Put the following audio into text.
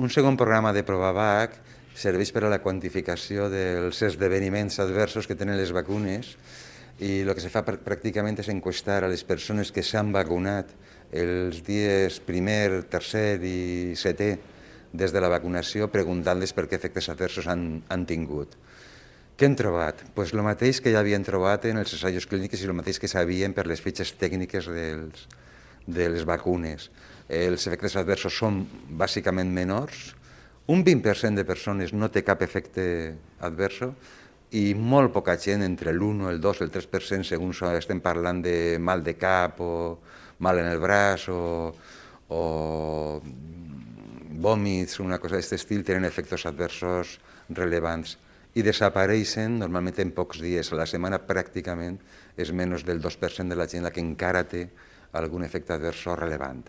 Un segon programa de ProvaVac serveix per a la quantificació dels esdeveniments adversos que tenen les vacunes i el que se fa pràcticament és enquestar a les persones que s'han vacunat els dies primer, tercer i setè des de la vacunació, preguntant-les per què efectes adversos han tingut. Què hem trobat? Pues el mateix que ja havien trobat en els assajos clínics i el mateix que sabien per les fitxes tècniques de les vacunes. Els efectes adversos són bàsicament menors, un 20% de persones no té cap efecte adverso i molt poca gent, entre l'1, el 2, el 3%, segons estem parlant de mal de cap o mal en el braç o vòmits, una cosa d'aquest estil, tenen efectes adversos rellevants i desapareixen normalment en pocs dies. A la setmana pràcticament és menys del 2% de la gent la que encara té algun efecte adverso rellevant.